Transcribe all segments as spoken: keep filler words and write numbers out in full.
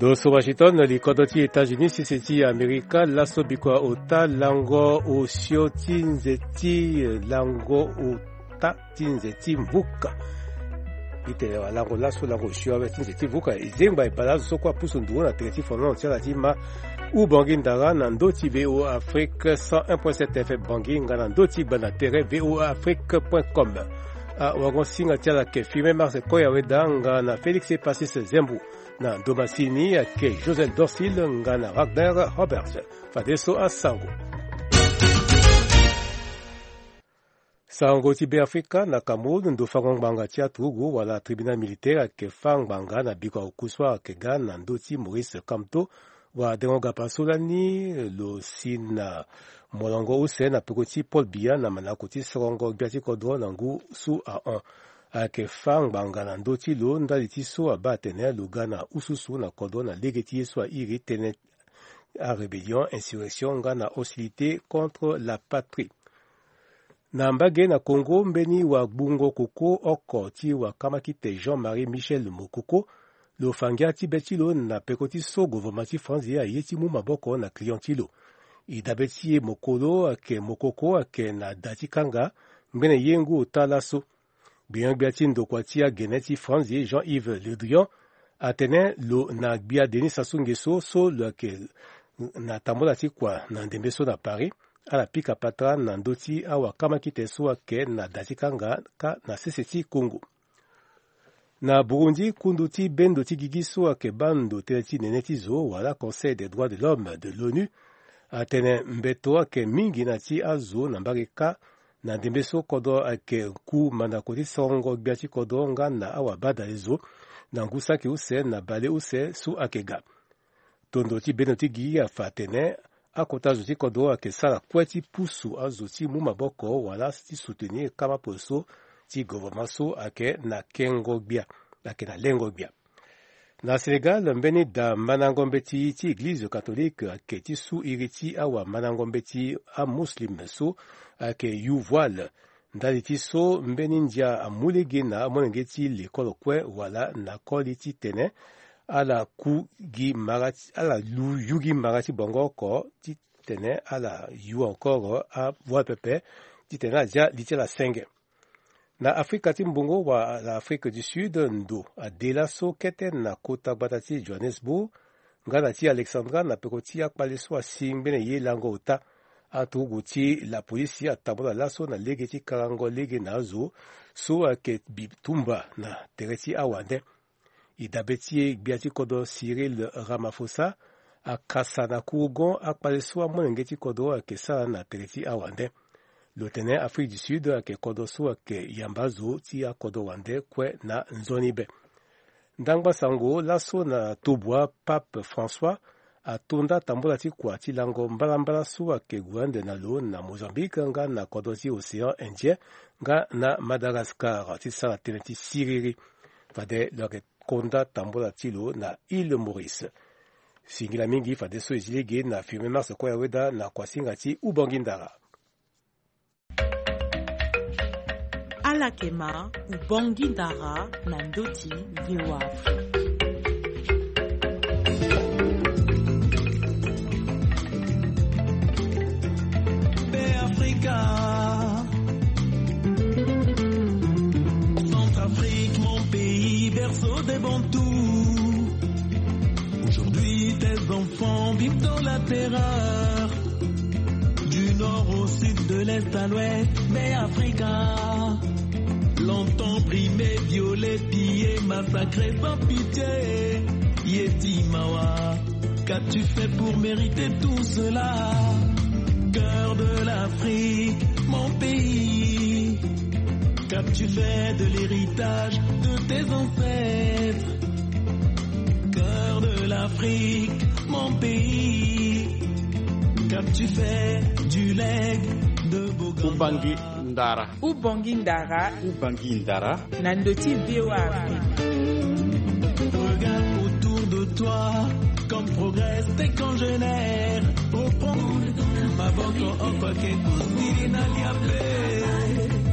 Lo so Washington, li kodro ti États-Unis, sese ti Amerika, laso bikua ota lango osio ti nze ti lango ota ti nze ti mvuka. Itene wa lango laso lango osio awe ti nze ti mvuka. E zengba e bale azo so kue apusu nduru na tere ti fonono ti ala ti ma. Ubongi ndara na ndö ti V O A Afrique cent un point sept F M Bangui nga na ndö ti gbanda tere V O A Afrique point com. Awarango-singa ti ala ayeke Firmin Mars Koyaweda nga na Félix Epasis Zembo. Na ndo masini ayeke Joseph Dorsil nga na Wagner Roberts. Fadeso asango. Sango ti Beafrika na Cameroun, ndo fango ngbanga ti aturugu wala tribunal militaire ayeke fâ ngbanga na bikua oku so ayeke ga na ndö ti Maurice Kamto, wadengo gapa so lani lo si na molongo use na peko ti Paul Biya na mandako ti sorongo gbia ti kodro na ngu so ahon. Ayeke fâ ngbanga na ndö ti lo ndali ti so abaa atene lo ga na ususu na kodro na lege ti ye so airi tënë arébellion, insurrection nga na hostilité contre la patrie. Na mbage na Congo, mbeni wagbungo koko oko ti wakamakite Jean-Marie Michel Mokoko, lo fa ngia ti be ti lo na peko ti so gouvernement ti France aye ti mu maboko na client ti lo. E dabe ti e mokolo ayeke Mokoko ayeke na da ti kanga ngbene ye ngu ota laso. Gbenyo-gbia ti ndokua ti agene ti France, Jean-Yves Le Drian, atene lo na gbia Denis Sassou Nguesso so lo yeke na tambola ti kua na ndembe so na Paris, ala pika patara na ndö ti awakamakite so ayeke na da ti kanga kâ na sese ti Congo. Na Burundi, kundu ti bendo ti gigi so ayeke baa ndo tënë ti nene ti zo wala Conseil des droits de l'homme de l'ONU atene mbeto ayeke mingi na ti azo na mbage kâ na ndembe so kodro ayeke ku mandako ti sorongo gbia ti kodro nga na awabadale zo na ngu saki use na bale use so ayeke ga. Tondo ti bendo ti gi afa atene akota zo ti kodro ayeke sara kue ti pusu azo ti mu maboko wala ti soutenir kama polo so ti gouvernement so ayeke na kengo gbia, ayeke na lengo gbia. Na Sénégal, mbeni da mandango mbeti ti église catholique ayeke ti su iri ti awamandango mbeti amuslim so ayeke yu voile. Ndali ti so mbeni ndia amu lege na amolenge ti lekolo kue wala na koli titene ala ku gi mara ti, ala lu yu gi mara ti bongo oko titene ala yu encore avoile pepe titene ala zia li ti ala senge. Na Afrika ti mbongo wala Afrique du Sud, ndo ade laso kete na kota gbata ti Johannesburg nga na ti Alexandra na peko ti akpale so asi ngbene ye lango ota. Aturugu ti lapolisi atambola laso na lege ti karango lege na azo so ayeke bitumba na tere ti awande. E dabe ti e gbia ti kodro Cyril Ramaphosa akasa na kurugon akpale so amolenge ti kodro ayeke sara na tere ti awande. Lo tene Afrique du Sud ayeke kodro so ayeke yamba azo ti akodro wande kue na nzoni be. Ndangba sango laso na tobua, Pape François ato nda tambola ti kua ti lango mbalambala so ayeke gue ande na lo na Mozambique nga na kodro ti Océan Indien nga na Madagascar ti sara tënë ti siriri. Fade lo yeke konda tambola ti lo na Île Maurice. Singila mingi fadeso e zi lege na Firmin Mars Koyaweda na kuasinga ti Ubongi Ndara. Ala yeke ma Ubongi Ndara na ndö ti V O A Afrique. Beafrika. Centrafrique, mon pays, berceau des Bantous. Aujourd'hui, tes enfants vivent dans la terreur. Du nord au sud, de l'est à l'ouest, Beafrika. Longtemps brimés, violés, pillés, massacrés sans pitié. Yeti mawa, qu'as-tu fait pour mériter tout cela ? Cœur de l'Afrique, mon pays, qu'as-tu fait de l'héritage de tes ancêtres ? Cœur de l'Afrique, mon pays, qu'as-tu fait du legs de Boganda ? Ubongi Ndara. Ubongi Ndara. Ubongi Ndara. Na ndö ti V O A Afrique. Regarde autour de toi, comme progressent tes congénères. Reprends ma banque en or,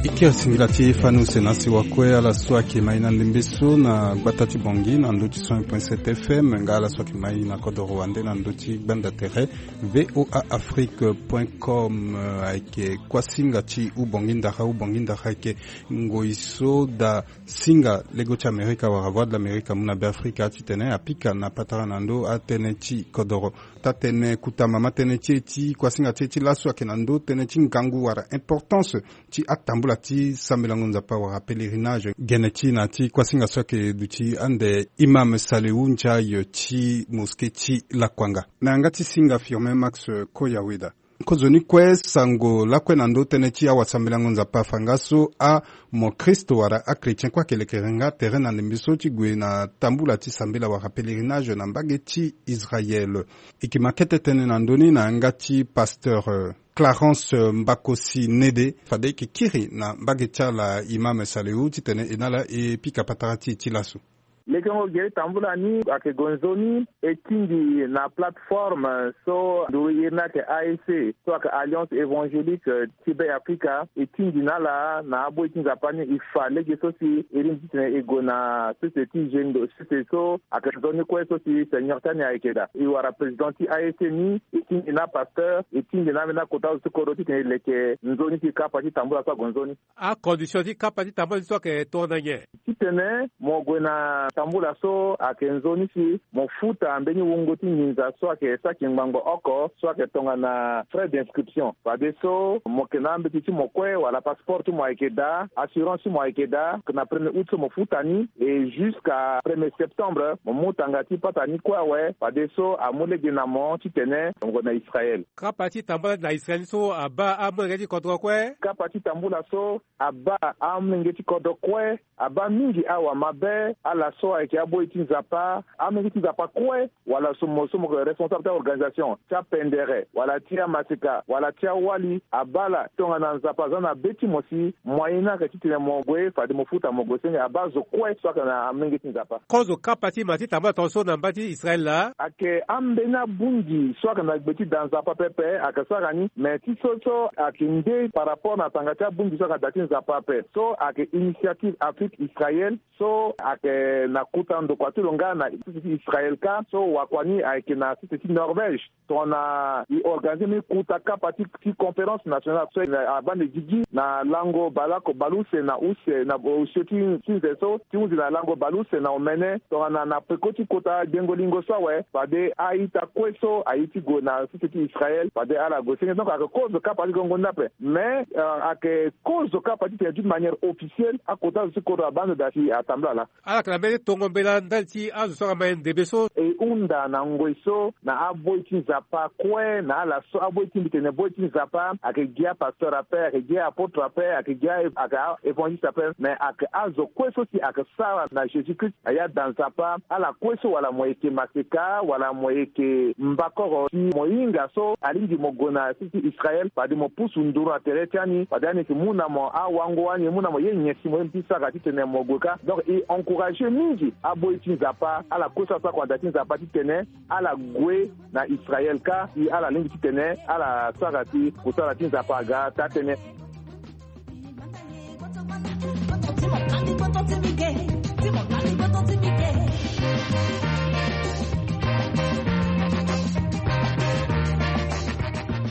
que E kiri singila ti fani use na si wakue ala so ayeke mai na ndembe so na gbata ti Bangui na ndö ti cent point sept F M nga ala so ayeke mai na kodoro wande na ndö ti gbanda tere V O A Afrique point com. Ayeke kuasinga ti ubongi ndara ubongi ndara ayeke ngoi so daa singa lego ti Amerika wala Voix de l'Amerique amu na Beafrika titene apika na patara na ndö atënë ti kodoro. Taa-tënë kutama ma tënë ti e ti kuasinga ti e ti laso ayeke na ndö tënë ti ngangu wala importance ti atambula ti sambelango Nzapa wala pèlerinage. Gene ti na ti kuasinga so ayeke duti ande Imam Salihu Ndiaye ti mosquée ti Lakuanga. Na yanga ti singa Firmin Max Koyaweda. Kozoni kue sango lakue na ndö tënë ti awasambelango Nzapa afa nga so amokristo wala achrétien kue ayeke lekere nga tere na ndembe so ti gue na tambula ti sambela wala pèlerinage na mbage ti Israël. E yeke ma kete tënë na ndö ni na yanga ti pasteur, euh, Clarence, euh, Mbakosi Nede, fade e yeke kiri na mbage ti ala Imam Salihu titene e na ala e pika patara ti e ti laso. Lekengo gere tambula ni ayeke gue nzoni e tingbi na plateforme so nduru iri ni ayeke A E C so ayeke Alliance Évangélique ti Be Afrika, e tingbi na ala na aboi ti Nzapa ni e fa lege so si e lingbi titene e gue na sese ti zendo sese so ayeke nzoni kue so si seigneur ti ani ayeke daa. E wara président ti A E C ni, e tingbi na apasteur, e tingbi na ambeni akota azo ti kodro titene e leke nzoni ti kapa ti tambula so ague nzoni. Acondition ti kapa ti tambula ti so ayeke tongana nyen? Titene mo gue na tambula so ayeke nzoni si mo futa mbeni wungo ti nginza so ayeke saki ngbangbo oko so ayeke tongana frais d'inscription. Fadeso mo yeke na ambeti ti mo kue wala passeport ti mo ayeke daa, assurance ti mo ayeke daa, na premier août so mo futa ni, et jusqu'à premier septembre mo mu tanga ti pata ni kue awe. Fadeso amu lege na mo titene mo gue na Israël. Kapa ti tambula na Israël so abaa amolenge ti kodro kue? Kapa ti tambula so abaa amolenge ti kodro kue, abaa mingi awa mabe, ala so ayeke aboi ti Nzapa, amolenge ti Nzapa kue, wala so mo so mo yeke responsable ti a-organisation ti apendere wala ti amaseka wala ti awali, abaa ala tongana Nzapa aza na be ti mo si moyen ni ayeke titene mo gue fade mo futa mo gue senge, abaa zo kue so ayeke na amolenge ti Nzapa. Kozo kapa ti ma ti tambula tongaso na mba ti Israël laa? Ayeke ambeni abungi so ayeke na gbe ti da Nzapa pepe ayeke sara ni, me ti so so ayeke nde par rapport na tanga ti abungi so ayeke na da ti Nzapa ape. So ayeke Initiative Afrique Israël, so ayeke na kota ndokua ti lo nga na sese ti Israël kâ. So wakua ni ayeke na sese ti Norvège. Tongana e organiser mbeni kota kapa ti, ti conférence nationale so na abande gigi na lango baleoko baleuse na use na osio ti, ti nze so ti hunzi na lango baleuse na omene tongana na peko ti kota gbengo lingo so awe, fade a-ita kue so aye ti gue na sese ti Israël fade ala gue senge. Donc ayeke kozo kapa ti gongo ni ape. Mais, euh, ayeke kozo kapa titene d'une manière officielle akota zo ti kodro abaa ndo daa si atambula laa. Ala yeke na mbeni tongo mbela ndali ti azo so ayeke ma ye ndembe so. E hunda na ngoi so na aboi ti Nzapa kue na ala so aboi ti mbi tene boi ti Nzapa, ayeke gi apasteur ape, ayeke gi aapôtre ape, ayeke gi a, ayeke a-évangéliste ape, me ayeke azo kue so si ayeke sara na Jésus Christ, aye ada Nzapa, ala kue so wala mo yeke maseka wala mo yeke mbakoro si mo hinga so alingbi mo gue na sese ti Israël fade mo pusu nduru na tere ti ani fade ani yeke mu na mo awango, ani mu na mo ye nyen si mo ye mbi ti sara titene mo gue kâ. Donc e encourager mingi aboi ti Nzapa, ala kue so asara kua na da ti Nzapa titene ala gue na Israël kâ, si ala lingbi titene ala sara si kosala ti Nzapa aga taa-tënë.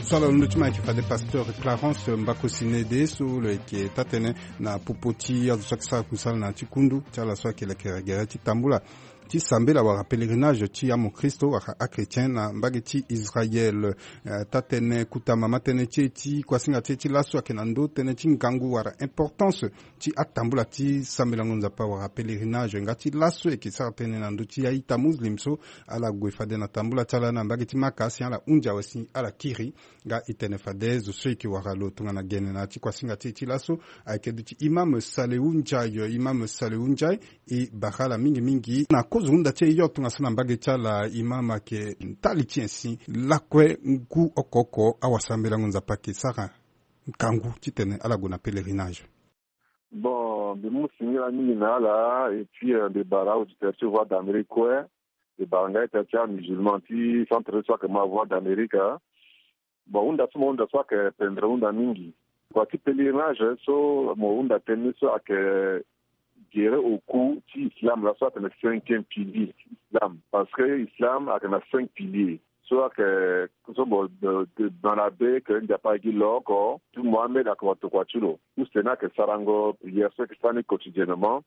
So ala londo ti mo ayeke fade pasteur Clarence Mbakosi Nede so lo yeke taa-tënë na popo ti azo so ayeke sara kusala na ya ti kundu ti ala so ayeke lekere gere ti tambula ti sambela wala pèlerinage ti amokristo wala achrétien na mbage ti Israël. Eh, taa-tënë kota mama tënë ti e ti kuasinga ti e ti laso ayeke na ndö tënë ti ngangu wala importance ti atambula ti sambelango Nzapa wala pèlerinage nga ti laso e yeke sara tënë na ndö ti a-ita muslim so ala gue fade na tambula ti ala na mbage ti Maka si ala hunzi awe si ala kiri. Nga e tene fade zo so e yeke wara lo tongana gene na ya ti kuasinga ti e ti laso ayeke duti Imam Salehu Ndiaye. Imam Salehu Ndiaye, e bara ala mingi mingi na kozo hunda ti e yo tongaso na mbage ti ala. Imam, ayeke ndali ti nyen si lakue ngu oko oko awasambelango Nzapa ayeke sara ngangu titene ala gue na pèlerinage? Bon, mbi mu singila mingi na ala, et puis, euh, mbi bara auditeur ti Voix d'Amérique kue, mbi bara nga ita ti amusulman ti centre so ayeke ma Voix d'Amérique. Bon, hunda so mo hunda so ayeke pendere hunda mingi. Kua ti pèlerinage so mo hunda tënë ni so ayeke gere oku ti islam laa so atene cinquième pilier ti islam, parce que islam ayeke na cinq piliers. So ayeke so mo, dans la be ke Nzapa agi lo oko ti Mohamed ayeke wa tokua ti lo. Use ni ayeke sarango prière so ayeke sara ni quotidiennement.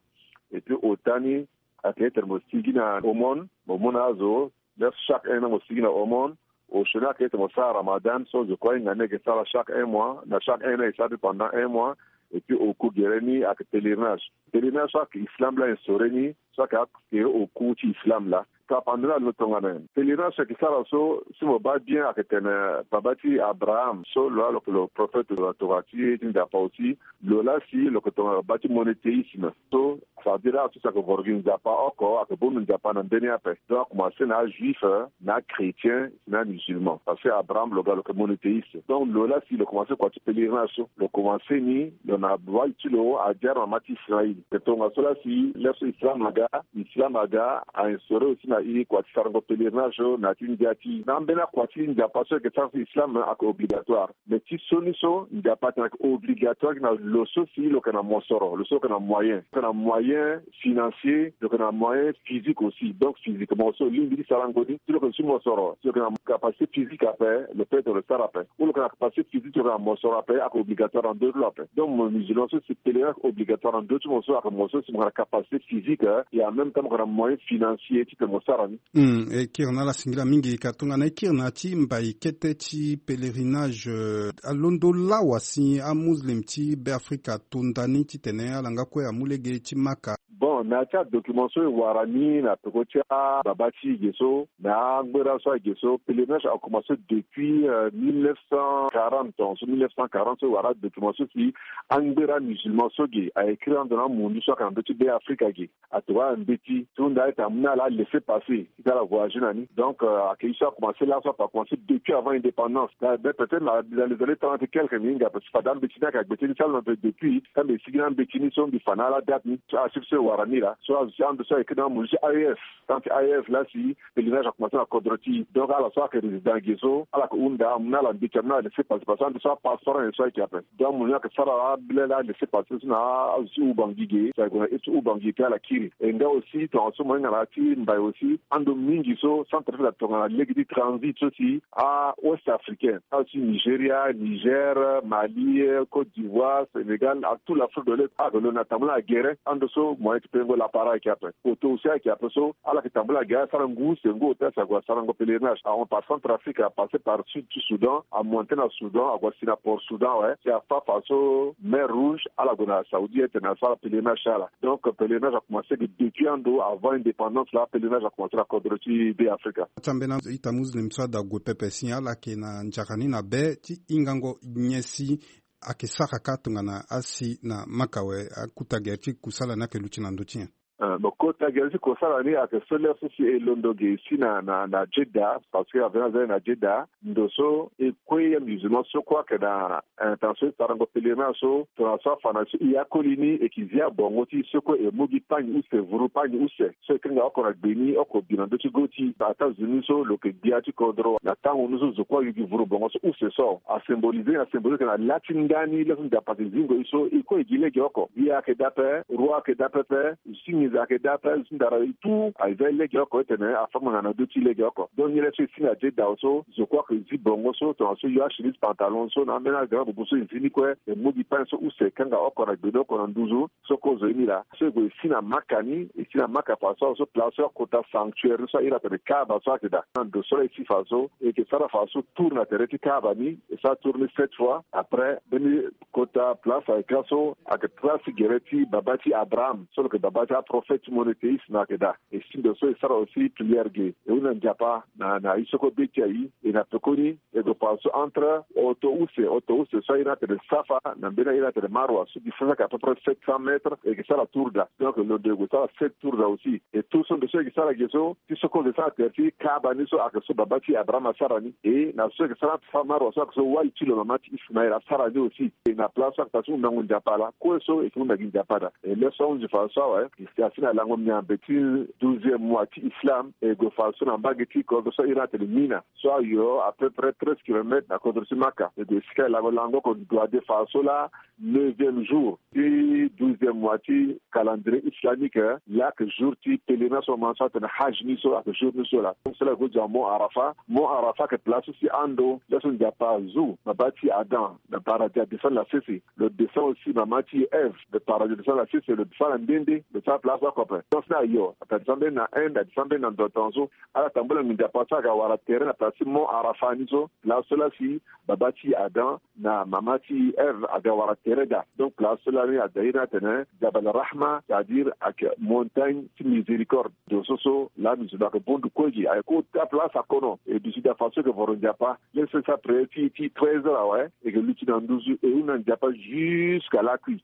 Et puis ota ni ayeke ete mo sigi na aumône, mo mu na azo. Lef chaque un an mo sigi na aumône. Osio ni ayeke ete mo sara Ramadan so zo kue ahinga ni ayeke sara chaque un mois, na chaque un an e sara ni pendant un mois. Et puis oku gere ni ayeke pèlerinage. Pèlerinage so ayeke islam laa instauré ni, so ayeke akere oku ti islam laa. Tapande ni alondo tongana nyen? Pèlerinage so ayeke sara so, si mo baa bien, ayeke tene baba ti Abraham so lo laa lo yeke lo prophète, lo tokua ti Nzapa aussi. Lo laa si lo yeke tongana baba ti monothéisme. So ça veut dire aso si ayeke voro gi Nzapa oko, ayeke bongbi Nzapa na ndö ni ape. Donc akomanse na ajuif, na achrétien, na amusulman. Parce que Abraham lo ga lo yeke monothéiste. Donc lo laa si lo komanse kua ti pèlerinage so, lo komanse ni lo na wali ti lo adia na mama ti Israël. Ayeke tongaso laa si lef so islam aga, islam aga a instauré aussi na e kua ti sarango pèlerinage so na ya ti ndia ti e. Na ambeni akua ti Nzapa so ayeke sara si islam ayeke obligatoire. Mais ti sioni so Nzapa atene ayeke obligatoire gi na lo so si lo yeke na mosoro, lo so lo yeke na moyen, lo yeke na moyen financier, lo yeke na moyen physique aussi. Donc physiquement so lingbi ti sarango ni, si lo yeke na su mosoro, si lo yeke na capacité physique ape, lo peut lo sara ape. Ou lo yeke na capacité physique, lo yeke na mosoro ape, ayeke obligatoire na ndö ti lo ape. Donc mo musulman so si pèlerinage ayeke obligatoire na ndö ti mo so ayeke mo so si mo yeke na capacité physique, eh, et en même temps mo yeke na moyen financier ti tene mo sara ni. Hmm, e kiri na ala singila mingi ka tongana e kiri na ya ti mbai kete ti pèlerinage, eh, alondo lawa si amuslim ti Beafrika ato nda ni titene ala nga kue amu lege ti Maka. Bon, na ya ti adocument so e wara ni na peko ti ababa ti e ge so, na angbera so ayeke ge so, pèlerinage akomanse depuis, euh, mille neuf cent quarante, tongaso mille neuf cent quarante so e wara adocument so si angbera musulman so ge a écrire ando na amundu so ayeke na ndö ti Beafrika ge. Atokua ala na mbeti ti hunda ete amu na ala laisser-passer ti ala voyager na ni. Donc, euh, ayeke ye so akomanse laso ape, akomanse depuis avant indépendance. Na, ben, peut-être na, na les années trente et quelques ni hinga, parce que fade ambeti ni ayeke na gbete ni ti ala na mbe depuis, ka mbi sigi na ambeti ni so mbi fa na ala date ni so, achiffre so e wara ni laa. So azo ti ando so ayeke na amundu ti A E S, tant ti A E S laa si pèlerinage akomanse na kodro ti e. Donc ala so ayeke résident ge so, ala yeke hunda amu na ala mbeti, amu na ala laisser-passer, parce que ando so apasseport na nyen so ayeke ape. Donc amundu ni ayeke sara abile laa laisser-passer so na azo ti Ubangui ge, si ague na iri ti Ubangui kue ala kiri. E nga aussi tongaso mo hinga na ya ti mbai aussi, ando mingi so Centrafrique atongana lege ti transit so si a-Ouest africain, azo ti Nigeria, Niger, Mali, Côte d'Ivoire, Sénégal, à tout l'Afrique de l'Est, ayeke lo na tambula na gere, ando so moyen ti pengo lapara ayeke ape. Oto aussi ayeke ape so ala yeke tambula na gere, asara ngu use ngu oto si ague asarango pèlerinage. Ahon par Centrafrique, apasser par sud ti Soudan, amonte na Soudan, ague asi na Port Soudan awe, si afa fa so mer Rouge, ala gue na Saoudi ete na asara pèlerinage ti ala. Donc pèlerinage akomanse ge depuis ando avant indépendance laa, pèlerinage akomanse na kodro ti Beafrika. Ti ambeni ita muslim so ada gue pepe si ala yeke na nzara ni na be ti hingango nyen si ayeke sara ka tongana asi na Maka awe, akuta gere ti kusala ni ayeke luti na ndö ti nyen? Euh, bon, kota gere ti kusala ni ayeke so lef so si e londo ge si na, na, na Jeddah, parce que avena zani na Jeddah, ndo so e kue amusulman so kue ayeke na, euh, intention ti sarango pèlerinage so, tongana so afa na so e akoli ni, e yeke zi abongo ti e so kue e mu gi pagni use, vuru pagni use so e kanga oko na gbe ni, oko bi na ndö ti go ti e. États-Unis so lo yeke gbia ti kodro, na tango ni so zo kue ayu gi vuru bongo so use so, asymboliser, asymboliser ayeke na la ti ndani, lef so Nzapa ayeke zingo e so e kue e gi lege oko. Gbia ayeke daa ape, roi ayeke daa pepe, zinginza ayeke daa ape, zindara e tout, a zi lege oko, e tene afa ngbanga na ndö ti lege oko. Donc ni lef so e si na Jeddah so, zo kue ayeke zi bongo so, tongana so e yo achemise pantalon so na ambeni agrand bubu so e zi ni kue, e mu gi pagni so use, e kanga oko na gbe ni, oko na nduzu, so kozo ye ni laa. So e gue e si na Maka ni, e si na Maka fa so, so place so akota sanctuaire so a iri atene Kaaba so ayeke daa. Na ndo so laa e si fa so, e yeke sara fa so tour na tere ti Kaaba ni, e sara tour ni sept fois. Après mbeni kota place ayeke laso, ayeke place gere ti baba ti Abraham so lo yeke baba ti aprophète monothéiste ni ayeke daa. E si ndo so e sara aussi prière ge, e hunda Nzapa na, na ye so kue be ti aye. E na pekoni e gue fa so entre oto use, oto use so a iri atene Safa na mbeni a iri atene Marwa so distance ayeke à peu près sept cents mètres, e yeke sara tour daa. Donc lo ndo e gue sara sept tour daa aussi. E tour so ndo so e yeke sara ge so, ti so kozo e sara tere ti Kaaba ni so ayeke so baba ti Abraham asara ni. E na so e yeke sara entre Safa Marwa so ayeke so wali ti lo mama ti Ismaël asara ni aussi. E na place so ayeke place ti hundango Nzapa laa. Kue so e yeke hunda gi Nzapa daa. E lef so ahunzi fa so awe, Asi na lango miambe ti douzième mois ti islam e gue fa so na mbage ti kodro so ahiri atene Mina, so ayo à peu près treize kilomètres na kodro ti Maka. E gue esika e lango lango oko, dua de fa so laa neuvième jour ti douzième mois ti calendrier islamique, laa ayeke jour ti pèlerinage so mo ma so atene Hajj ni so ayeke jour ni so laa. Donc so laa e gue zo na Mont Arafa. Mont Arafa ayeke place so si ando laso Nzapa azu baba ti Adam na paradis, adescend na sese. Lo descend aussi mama ti Ève na paradis, lo descend na sese, lo descend na nde nde, lo sara place oko ape. Donc so laa ayo, ata descend mbeni na Inde, adescend mbeni na ndo tongaso. Ala tambula nginza pa so aga wara tere na place ti Mont Arafa ni so, place so laa si baba ti Adam na mama ti Ève aga wara tere daa. Donc place so lani ada iri atene Jabal Rahma, c'est-à-dire ayeke montagne ti miséricorde. Ndo so so lani zo lo ayeke bondu kue gi, ayeke ota place akono. E duti daa fa so e yeke voro Nzapa. Laso e sara prière ti, ti treize heures awe, e yeke luti na nduzu, e hunda Nzapa jusqu'à lakui.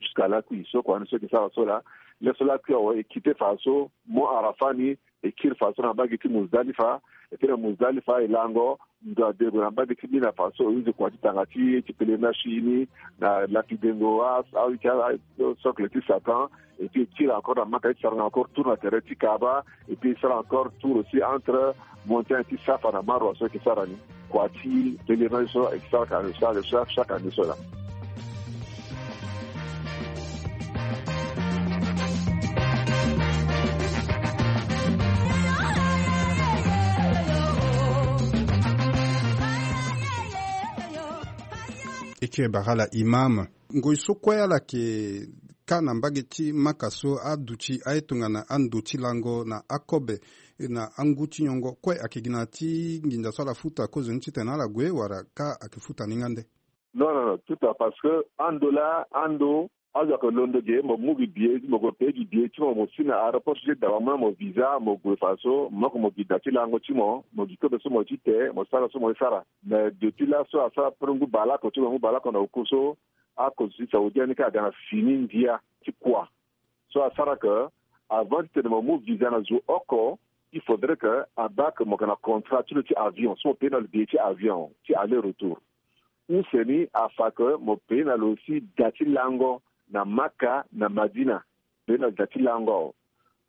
Jusqu'à lakui. So kua ni so e yeke sara so laa. Laso lakui awe, e kite fa so Mont Arafa ni, e kiri fa so na mbage ti Muzdalifa. E kiri na Muzdalifa, e lango ndo ade gue na mbage ti Mina fa so e hunzi kua ti tanga ti, ti pèlerinage ti e ni, na lapidengo a, a, a, socle ti Satan. Et puis e kiri encore na Maka, e sara encore tour na tere ti Kaaba. Et puis e sara encore tour aussi entre montagne ti Safa na Marwa so e yeke sara ni. Kua ti pèlerinage so e yeke sara ka, e sara, e sara chaque année so laa. E kiri bara ala imam. Ngoi so kue ala yeke ka na mbage ti Maka so aduti aye tongana ando ti lango na akobe na angu ti nyongo kue ayeke gi na ya ti nginza so ala futa kozoni titene ala gue wala ka ayeke futa ni nga nde? Non, non, non, tout à, parce que ando laa, ando, azo ayeke londo ge, mo mu gi billet, mo gue paye gi billet ti mo, mo si na aéroport ti Jeddah, mo mu na mo visa, mo gue fa so, mo oko mo gi da ti lango ti mo, mo gi kobe so mo ye ti te, mo sara so mo ye sara. Mais depuis laso asara pre ngu baleoko ti mo, ngu baleoko na oku so, akonso ti Saoudia ni ka aga na fini ndia ti kua. So asara ke avant titene mo mu visa na zo oko, il faudrait ke abaa ke mo yeke na contrat ti lo ti avion, so mo paye na lo billet ti avion ti aller retour. Use ni afa ke mo paye na lo aussi da ti lango na Maka na Madina. Paye na lo da ti lango awe.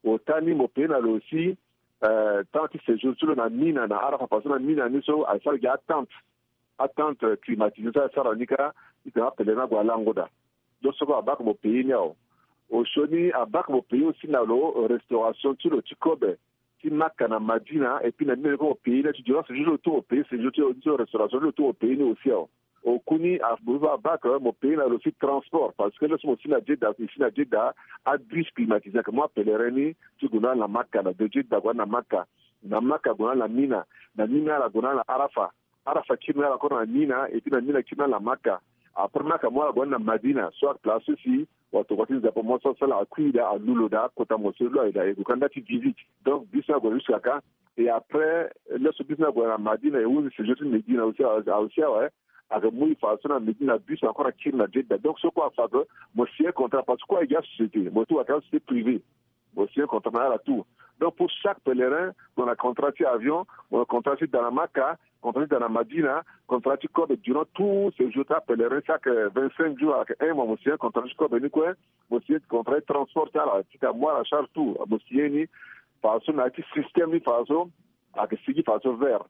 Ota ni mo paye na lo aussi, euh, temps ti séjour ti lo na Mina, na Arafa, parce que na Mina ni so asara gi atente, atente climatisée so asara ni ka, titene apèlerin ague alango daa. Donc so kue abaa ke mo paye ni awe. Osioni abaa ke mo paye aussi na lo restauration ti lo ti kobe ti Maka na Madina, et puis na Mina ni kue mo paye ni, ti durant séjour ti lo tout mo paye, séjour ti lo, ti lo, restauration ti lo tout mo paye ni aussi awe. Oku ni a, abaa ke mo paye na lo aussi transport, parce que laso mo si na Jeddah, si na Jeddah, abus climatisé ayeke mu apèlerin ni ti gue na ala na Maka, na de Jeddah gue na ala na Maka, na Maka gue na ala na Mina, na Mina ala gue na ala na Arafa. Arafa kiri na ala encore na Mina, et puis na Mina kiri na ala na Maka. Après Maka mo ala gue na ala na Madina, so place so si watokua ti Nzapa mo so asara akui daa, alu lo daa, kota mo so lo aye daa, e gue ka nda ti visite. Donc bus ni ague jusqu'à ka. Et après laso bus ni ague na Madina, e hunzi séjour ti Medina aussi, a, a aussi awe. Ayeke mu e fa so na Medina, bus encore akiri na Jeddah. Donc so kue afa ke mo signer contrat, parce que kue ayeke gi asociété, mo ti wara ka société privée. Mo signer contrat na ala tout. Donc pour chaque pèlerin, mo na contrat ti avion, mo na contrat ti da na Maka, contrat ti da na Madina, contrat ti kobe durant tout séjour ti apèlerin, chaque vingt-cinq jours, ayeke un mois, mo signer contrat ti kobe ni kue, mo signer contrat ti transport ti ala, ti ka mu ala charge tout, mo signer ni. Fa so na ya ti système ni fa so, ayeke sigi fa so vert.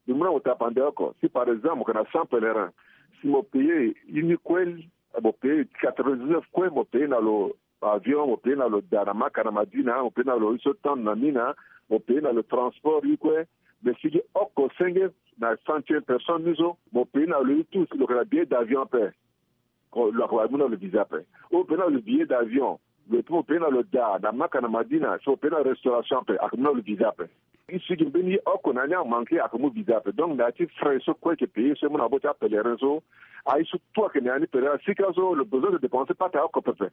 Mbi mu na mo tapande oko. Si par exemple mo yeke na cent pèlerin, si mo paye ye ni kue, mo paye quatre-vingt-dix-neuf kue, mo paye na lo avion, mo paye na lo da na Maka na Madina, mo paye na lo ye so tente na Mina, mo paye na lo transport ye kue. Mais si gi oko senge na centième personne ni so, mo paye na lo ye tout, si lo yeke na billet d'avion ape. Ko lo yeke wara mu na lo visa ape. Ou paye na lo billet d'avion, lo ti mo paye na lo da na Maka na Madina, so paye na restauration ape, ayeke mu na lo visa ape. Ye sigi mbeni ye oko na ya ni amanke, ayeke mu visa ape. Donc na ya ti frais so kue ayeke paye so e mu na maboko ti apèlerin so, aye so tout ayeke na ya ni pèlerin. Sika so lo besoin de dépenser pata oko pepe.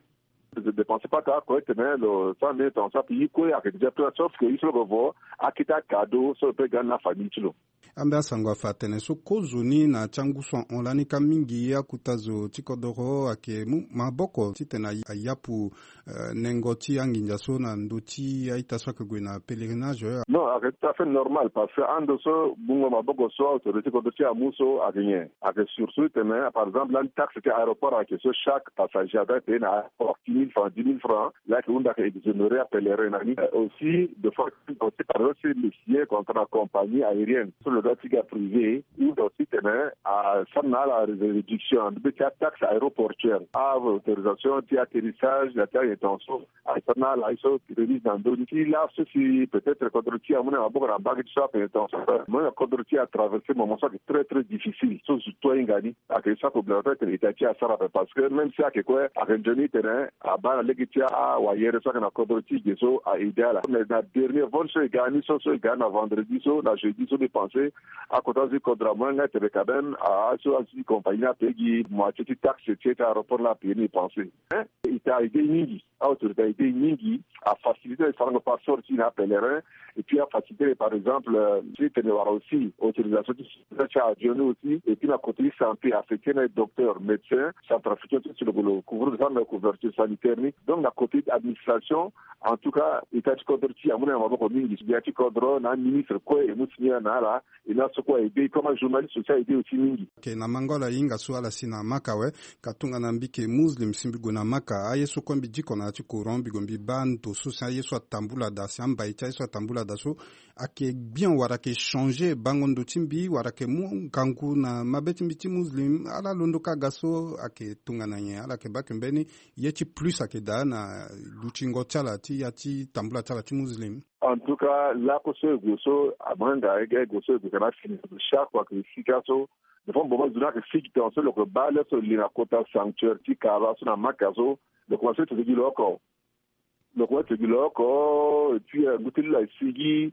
De dépenser pata oko titene lo sara mbeni dépense ape. Ye kue ayeke déjà plein, sauf que ye so lo yeke vo akete acadeau so lo peut ga ni na afamille ti lo. Ambe asango afa atene so kozoni na ya ti angu so ahon lani ka mingi akota zo ti kodoro ayeke mu maboko titene a yapu, euh, nengo ti anginza so na ndö ti a-ita so ayeke gue na pèlerinage. Non, ayeke tout à fait normal parce que ando so gbungo maboko so autorité ti kodro ti e amu so ayeke nyen? Ayeke surtout titene par exemple lani taxe ti aéroport ayeke so chaque passager adoit payer na aéroport. mille francs, dix mille francs, la ayeke hunda ayeke exonéré apelerin na ni. Aussi de fois aussi par exemple si lo signer contrat na compagnie aérienne so lo doit ti ga privé, hunda aussi tene asara na ala réduction na ndö ti ataxe aéroportuaire, a autorisation ti atterrissage na ti ayen ton so, asara na ala ye so remise na ndö ni ti laso si peut-être kodro ti e amu na maboko na mbage ti so ape ton so, mo na kodro ti e atraverser moment so ayeke très très difficile so zo to ahinga ni. Ayeke so ape obligatoire tene état ti e asara ape parce que même si ayeke kue ayeke nzoni tene abaa na lege ti awayere so ayeke na kodro ti e ge so a aider ala. Mais na dernier vol so e ga ni so so e ga ni na vendredi so na jeudi so mbi pense akota zo ti kodro amu na nga tene quand même azo ti compagnie ni apaye gi moitié ti taxe ti e ti aéroport ni apaye ni, mbi pense. Hein, état a aidé mingi, a autorité a aidé mingi, a facilité na e sarango passeport ti e na apelerin. Et puis a facilité par exemple ti tene wara aussi autorisation ti ti avion ni aussi. Et puis na côté ti santé affecté na e docteur, médecin, centrafricain ti si lo couvrir, lo sara na couverture sanitaire ni. Donc na côté administration, en tout cas état ti kodro ti e amu na e na maboko mingi. Gbia ti kodro na aministre kue e mu signer na ala. E na so kue a aidé comme ajournaliste aussi a aidé aussi mingi. Ayeke na mango ala hinga so ala si na Maka awe. Ka tongana mbi yeke Muslim si mbi gue na Maka, aye so kue mbi diko na ya ti courant, mbi gue mbi baa ndo so si aye so atambula daa, si ambai ti aye so atambula daa so ayeke bien wala ayeke changer bango ndo ti mbi wala ayeke mu ngangu na mabe ti mbi ti Muslim. Ala londo kâ ga so ayeke tongana nyen? Ala yeke baa yeke mbeni ye ti plus ayeke daa na lutingo ti ala ti ya ti tambula ti ala ti Muslim? En tout cas lakue so e gue so, amanga e ga e gue so e gue kana fini. Chaque fois que e si kâ so, des fois mo baa zo ni ayeke sigi tongaso lo yeke baa le so e li na kota sanctuaire ti Kaaba so na Maka so, lo commence ti gi lo oko. Lo commence ti gi lo oko et puis ngu ti lo asigi.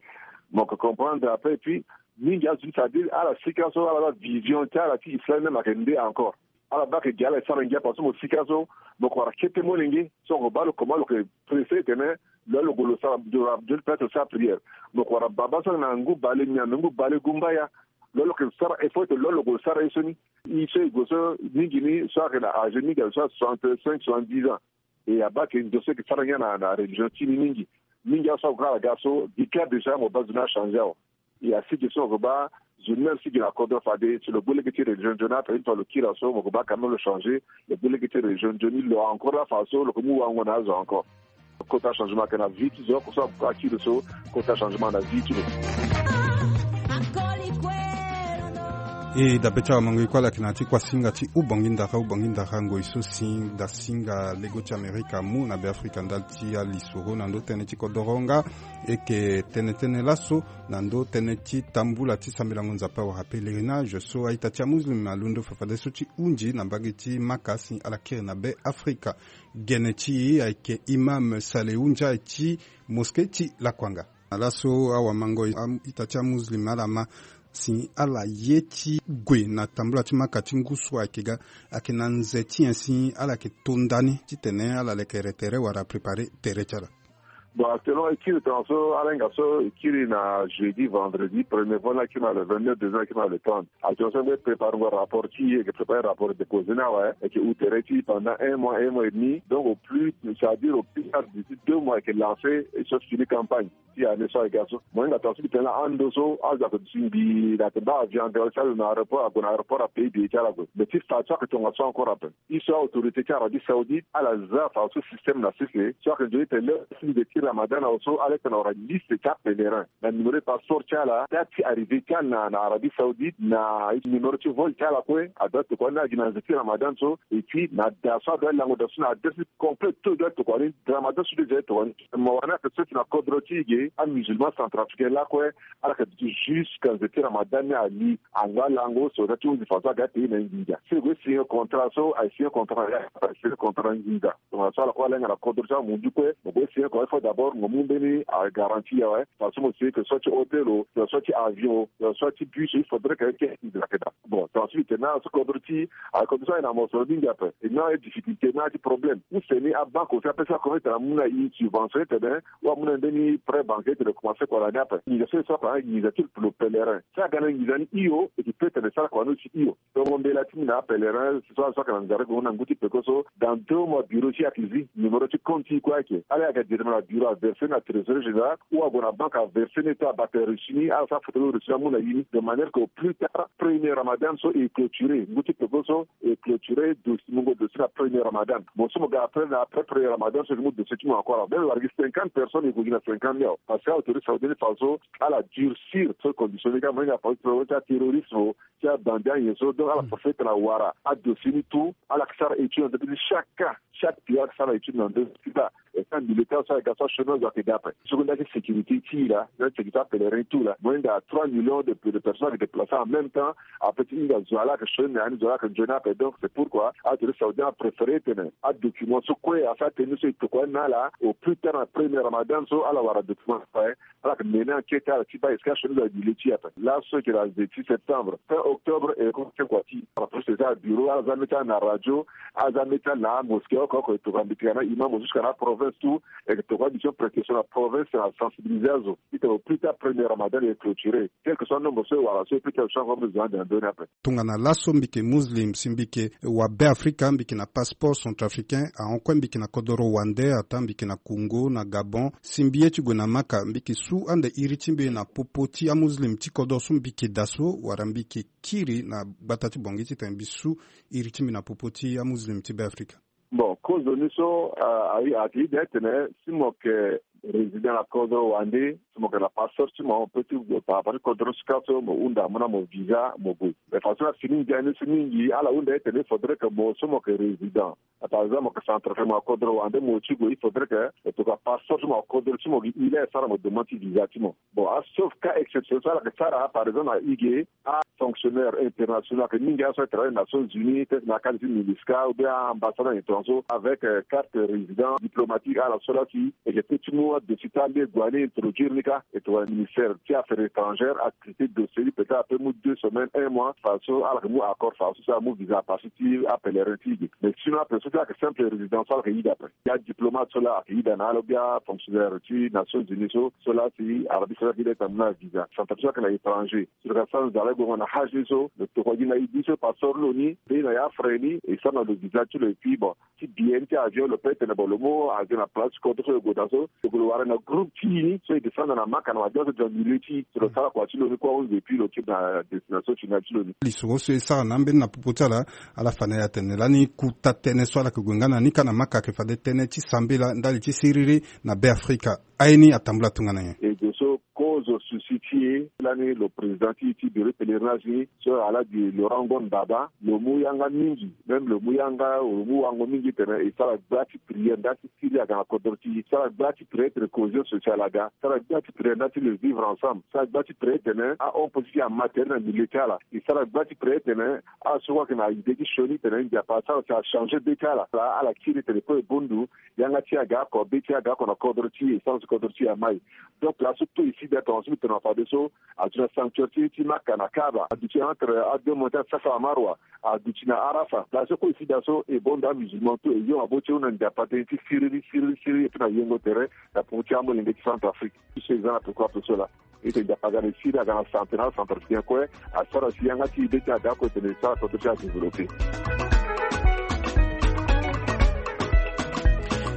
Mo yeke comprendre après et puis mingi azo ni c'est-à-dire ala si kâ so ala baa vision ti ala ti islam même ayeke nde encore. Ala baa ayeke gi ala e sara ngia parce que mo si kâ so mo yeke wara kete molenge so mo yeke baa lo comment lo yeke pressé tene lo lo gue lo sara, peut-être lo sara prière. Mo yeke wara baba so na ngu bale nyen na ngu bale gumbaya. Lo lo yeke sara effort tene lo lo gue lo sara ye so ni. E so e gue so mingi ni so ayeke na âge mingi ayeke so soixante-cinq, soixante-dix ans. E abaa ayeke ndo so e yeke sara ngia na religion ti ni mingi. Mingi aso ague ala ga so gi kâ déjà mo baa zo ni achanger awe. E asigi so mo yeke baa zo ni même si gi na kodro fade si lo gbu lege ti religion nzoni ape une fois lo kiri aso mo yeke baa quand même lo changer. Lo gbu lege ti religion nzoni lo encore la façon lo ke mu wango na azo encore. Kota changement ayeke na vie ti zo oko so akiri so. Kota changement na vie ti lo. E dabe ti awamango e kue ala yeke na ya ti kuasinga ti Ubongi Ndara, Ubongi Ndara ngoi so si dasinga lego ti Amerika amu na Beafrika ndali ti alisoro na ndö tënë ti kodoro nga. E yeke tene tënë laso na ndö tënë ti tambula ti sambelango Nzapa wala pèlerinage so a-ita ti amuslim alondo fafadeso ti hunzi na mbage ti Maka si ala kiri na Beafrika. Gene ti e ayeke Imam Salehu Ndiaye ti mosquée ti Lakuanga. Na laso awamango a-ita ti amuslim ala ma si ala ye ti gue na tambula ti Maka ti ngu so ayeke ga, ayeke na nze ti nyen si ala yeke to ndani titene ala leke re tere wala préparer tere ti ala? Bon, actuellement e kiri tongaso ala hinga so e kiri na jeudi, vendredi, premier vol ni akiri na le vingt-neuf, deuxième akiri na le trente. Actuellement so e préparer ngo rapport ti e, e yeke préparer rapport, e déposer ni awe, e yeke hu tere ti pendant un mois, un mois et demi. Donc au plus, c'est-à-dire au plus tard d'ici deux mois e yeke lancer e so fini campagne ti année so ayeke ga so. Mo hinga tongaso mbi tene laa ando so azo ayeke duti mbi na yeke baa avion, avion ti azo na aéroport, ague na aéroport apaye billet ti ala ague. Mais ti fa so ayeke tongaso encore ape. E so autorité ti Arabie Saoudite ala za fa so système na sese so ayeke nzoni tene lê ti nze ti Ramadan awe so ala yeke na wara liste ti apèlerin na numéro ti passeport ti ala, date ti arrivée ti ala na, na Arabie Saoudite, na numéro ti vol ti ala kue. Adoit tokua ni na gi na nze ti Ramadan so. Et puis na da so adoit lango da so na adresse complet, tout doit tokua ni. Ramadan so déjà tokua ni. Mo wara ni ayeke soti na kodro ti e ge, amusulman centrafricain lakue ala yeke duti jusqu'à nze ti Ramadan ni ali. Ango alango so da ti hunzi fa so aga apaye na e nginza. Si e gue signer contrat so, aye signer contrat ya, aye signer contrat nginza. Tongana so ala kue ala hinga na kodro ti amunzu kue, mo gue signer kua il faut d'abord mo mu mbeni agarantie awe. Fa so mo signer que soit ti hôtel o, que soit ti avion o, que soit ti bus o, il faudrait que ayeke nginza ayeke daa. Bon, tongana so mbi tene na ala so kodro ti e, aye kodro so aye na mosoro mingi ape. E na aye difficulté, na aye ti problème. Use ni abanque aussi apesa kua tene amu na e subvention tene, ou amu na e mbeni prêt bancaire tene lo commencer kua na ni ape. Nginza so e sara kua na nginza ti lo pèlerin. Si aga na nginza ni hio, e yeke peut tene e sara kua ni aussi hio. Tongo mbela ti mbi na apèlerin so, so ayeke na nzara gue na ngu ti peko so, dans deux mois bureau ti e ayeke zi, numéro ti compte ti e kue ayeke. Ala ye aga directement na bureau. averse na trésorier général ou ague na banque averse ni ti abata reçu ni, ala sara photo reçu ni amu na ye ni, de manière que au plus tard premier ramadan so e clôturer ngu ti peko so, e clôturer dossier, mungo dossier na premier ramadan. Bon, so mo ga après na après premier ramadan so e ke mu dossier ti mo encore awa, même wara gi cinquante personnes e gue gi na cinquante ni awa. Parce que autorité saoudien ni fa so ala durcir so condition ni ga mo hinga fa so ti terrorisme ti abandi anyen so. Donc ala profite na wara adossier ni tout, ala ke sara étude na ndö ti chaque cas, chaque pays ala ke sara étude na ndö ti là. Et ça militaire so ala ga so achômage ayeke ga ape. So kue nda ti sécurité ti e laa, nda ti sécurité apèlerin tout laa, mo hinga trois millions de, de personnes ayeke déplacer en même temps. Ape ti hinga zo ala yeke sioni na ya ni, zo ala yeke nzoni ape. Donc c'est pourquoi autorité saoudien apréféré tene adocument so kue asara tënë ni so e tokua ni na ala au plus tard na premier ramadan so ala wara document so ape. Ala yeke mené enquête ala ti baa est-ce que asioni zo ayeke bi le ti e ape. Laso e yeke na dix-sept septembre, fin octobre, e yeke tien kua ti ala procès ti ala bureau, ala za mbeti ala na radio, ala za mbeti ala na amosquée oko oko, e tokua mbi tene na imam jusqu'à na aprovince tout. E yeke tokua mission précaution na province na sensibiliser azo ti tene au plus tard premier ramadan e clôturer, quel que soit nombre so e wara so, e peut ti azo so akomo zo ande na ndö ni ape. Tongana laso mbi yeke muslim si mbi yeke wa Beafrika, mbi yeke na passeport centrafricain, ahon kue mbi yeke na kodoro wande, ataa mbi yeke na Congo, na Gabon, si mbi ye ti gue na Maka, mbi yeke su ande iri ti mbi na popo ti amuslim ti kodoro so mbi yeke daa so, wala mbi yeke kiri na gbata ti Bangui titene mbi su iri ti mbi na popo ti amuslim ti Beafrika? Bon, kozo ni so, ah, ayeke ida tene si mo yeke résident na kodoro wande, si mo yeke na passeport ti mo, mo peut ti gue par rapport ti kodoro sika so mo hunda mo na mo visa mo gue. Mais façon na fini ngia ni so mingi ala hunda tene il faudrait que mo so mo yeke résident, par exemple mo yeke centrafricain, mo na kodoro wande mo ti gue, il faudrait que mo tokua passeport ti mo na kodoro ti mo gi ile e sara mo demande ti visa ti mo. Bon, a sauf cas exception so ala yeke sara, par exemple na ige, afonctionnaire international ayeke mingi, aso e travailler na Nations Unies, peut-être na cadre ti MINUSCA ou bien ambassade na étranger avec, euh, carte résident diplomatique, ala so la si e yeke peut ti mu adossier ti ala gue ni introduire ni kâ. E tokua ministère ti affaires étrangères atraité dossier ni, peut-être ape mu deux semaines, un mois, façon ala yeke mu accord, façon so amu visa à partir ti apèlerin ti ige. Mais sinon ape so ti ala yeke simple résident so ala yeke ida ape. Ya diplomate so la ayeke ida na ala ou bien fonctionnaire ti Nations Unies so, so la si Arabie Saoudite ayeke ida ti amu na visa. Centrafrique so ayeke na étranger so lo yeke sara nzara e gue na hage ni so, lo tokua gi na e di so passeport ti lo ni, mbeni na ya frais ni, e sara na lo visa ti lo, et puis bon, ti billet ni ti avion lo peut tene bon lo mu avion na place ti kodro so lo gue daa so, lo gue lo wara na groupe ti e ni so e descendre na Maka na mabia so, dans milieu ti e so lo sara kua ti lo ni kue ahunzi, et puis lo ti na destination finale ti lo ni. Lisoro so e sara na ambeni na popo ti ala, ala fa na e atene lani kota tënë so ala yeke gue nga na ni kâ na Maka ayeke fade tënë ti sambela ndali ti siriri na Beafrika. Aye ni atambula tongana nyen? E gue so kozo souci ti e lani lo président ti, ti bureau pèlerinage ni so ala di Laurent Ngon Baba, lo mu yanga mingi, même lo mu yanga, lo mu wango mingi tene e sara gba ti prière ndali ti siriri aga na kodro ti e, sara gba ti prière tene cohésion sociale aga, sara gba ti prière ndali ti le vivre ensemble, sara gba ti prière tene ahon positif ama tere na milieu ti ala, e sara gba ti prière tene aso kue ayeke na idée ti sioni tene Nzapa asara si achanger be ti ala, ala kiri tene kue e bongbi yanga ti e aga oko, be ti e aga oko na kodro ti e, sara si kodro ti e amai. Donc laso tout e si daa tongaso mbi tene na fadeso, aduti na sanctuaire ti, ti Maka na Kaaba, aduti entre a deux montagnes Safa na Marwa, aduti na Arafa. Laso kue e si daa so e bongbi amusulman tout, e yo maboko ti e hunda Nzapa tënë ti siriri, siriri, siriri, e peut na yengo tere na popo ti amolenge ti Centrafrique. Ti so e za na peko ape so laa. E tene Nzapa aga na e siriri, aga na santé na acentrafricain kue, asara si yanga ti e be ti e aga oko, e tene e sara kodro ti e adéveloppé.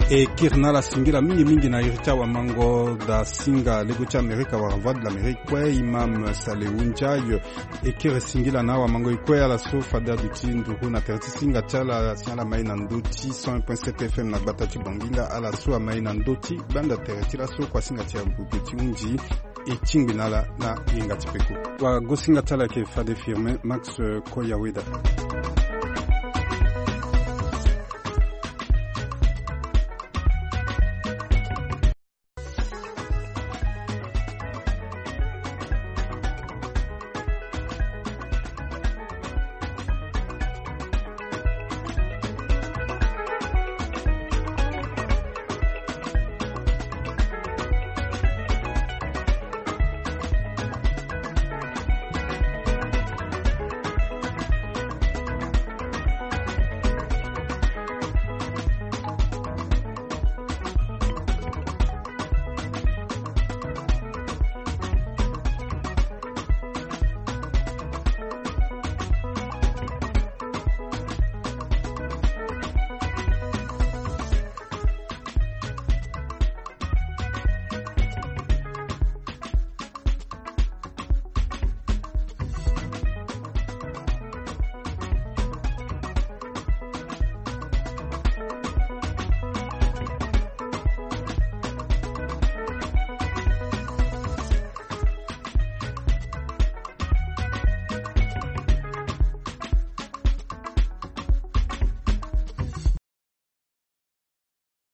E kiri na ala singila mingi mingi na iri ti awamango da singa lego ti Amerika wala Voix de l'Amérique kue, Imam Salehu Ndiaye. E kiri singila na awamango e kue ala so fade aduti nduru na tere ti singa ti ala si ala mai na ndö ti cent un point sept F M na gbata ti Banginda, ala so amai na ndö ti gbanda tere ti laso kuasinga ti abubu ti hunzi. E tingbi na ala na yenga ti peko. Wagosinga ti ala ayeke fade Firmin Max Koyaweda.